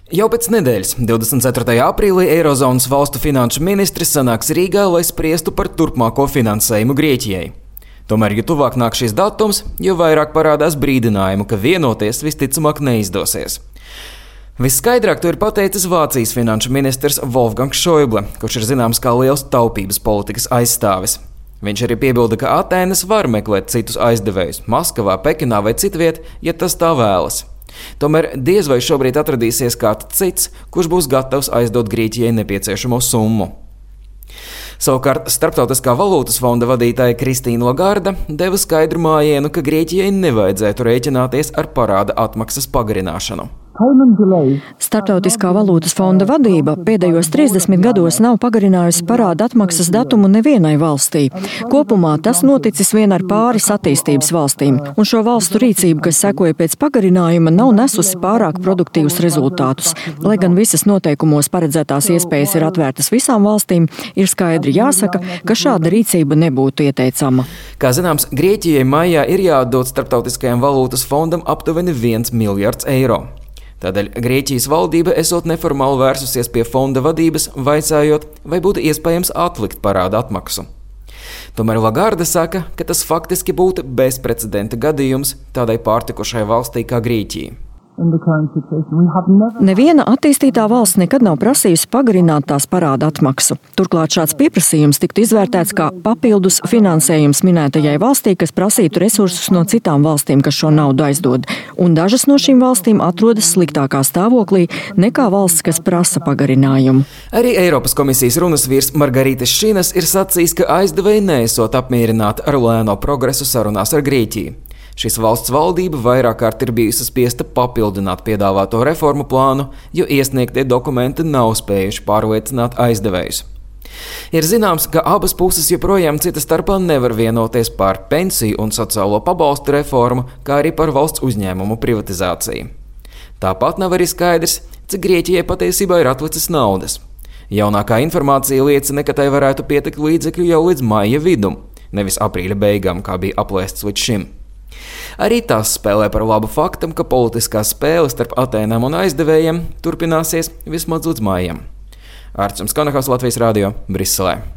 Jau pēc nedēļas, 24. aprīlī, Eirozonas valstu finanšu ministri sanāks Rīgā, lai spriestu par turpmāko finansējumu Grieķijai. Tomēr, jo tuvāk nāk šis datums, jo vairāk parādās brīdinājumu, ka vienoties visticamāk neizdosies. Visskaidrāk to ir pateicis Vācijas finanšu ministrs Wolfgangs Šoible, kurš ir zināms kā liels taupības politikas aizstāvis. Viņš arī piebilda, ka Atēnas var meklēt citus aizdevējus Maskavā, Pekinā vai citviet, ja tas tā vēlas. Tomēr diez vai šobrīd atradīsies kāds cits, kurš būs gatavs aizdot Grieķijai nepieciešamo summu. Savukārt Starptautiskā valūtas fonda vadītāja Kristīna Lagarda deva skaidru mājienu, ka Grieķijai nevajadzētu rēķināties ar parāda atmaksas pagarināšanu. Starptautiskā valūtas fonda vadība pēdējos 30 gados nav pagarinājusi parāda atmaksas datumu nevienai valstī. Kopumā tas noticis vien ar pāris attīstības valstīm, un šo valstu rīcība, kas sekoja pēc pagarinājuma, nav nesusi pārāk produktīvus rezultātus. Lai gan visas noteikumos paredzētās iespējas ir atvērtas visām valstīm, ir skaidri jāsaka, ka šāda rīcība nebūtu ieteicama. Kā zināms, Grieķijai maijā ir jāatdod Starptautiskajam valūtas fondam aptuveni 1 miljards eiro. Tādēļ Grieķijas valdība esot neformāli vērsusies pie fonda vadības, vaicājot, vai būtu iespējams atlikt parāda atmaksu. Tomēr Lagarde saka, ka tas faktiski būtu bezprecedenta gadījums tādai pārtikušai valstī kā Grieķija. Neviena attīstītā valsts nekad nav prasījusi pagarināt tās parāda atmaksu. Turklāt šāds pieprasījums tiktu izvērtēts kā papildus finansējums minētajai valstī, kas prasītu resursus no citām valstīm, kas šo naudu aizdod. Un dažas no šīm valstīm atrodas sliktākā stāvoklī nekā valsts, kas prasa pagarinājumu. Arī Eiropas komisijas runas vīrs Margarītis Šinas ir sacījis, ka aizdevēji neesot apmierināti ar lēno progresu sarunās ar Grieķiju. Šis valsts valdība vairāk kārt ir bijusi spiesta papildināt piedāvāto reformu plānu, jo iesniegtie dokumenti nav spējuši pārliecināt aizdevējus. Ir zināms, ka abas puses joprojām cita starpā nevar vienoties par pensiju un sociālo pabalstu reformu, kā arī par valsts uzņēmumu privatizāciju. Tāpat nav arī skaidrs, cik Grieķijai patiesībā ir atlicis naudas. Jaunākā informācija liecina, ka tai varētu pietikt līdzekļu jau līdz maija vidum, nevis aprīļa beigām, kā bija aplēsts līdz šim. Arī tas spēlē par labu faktam, ka politiskā spēle starp Atēnām un aizdevējiem turpināsies vismaz līdz maijam. Arčuns Kanahals, Latvijas radio, Briselē.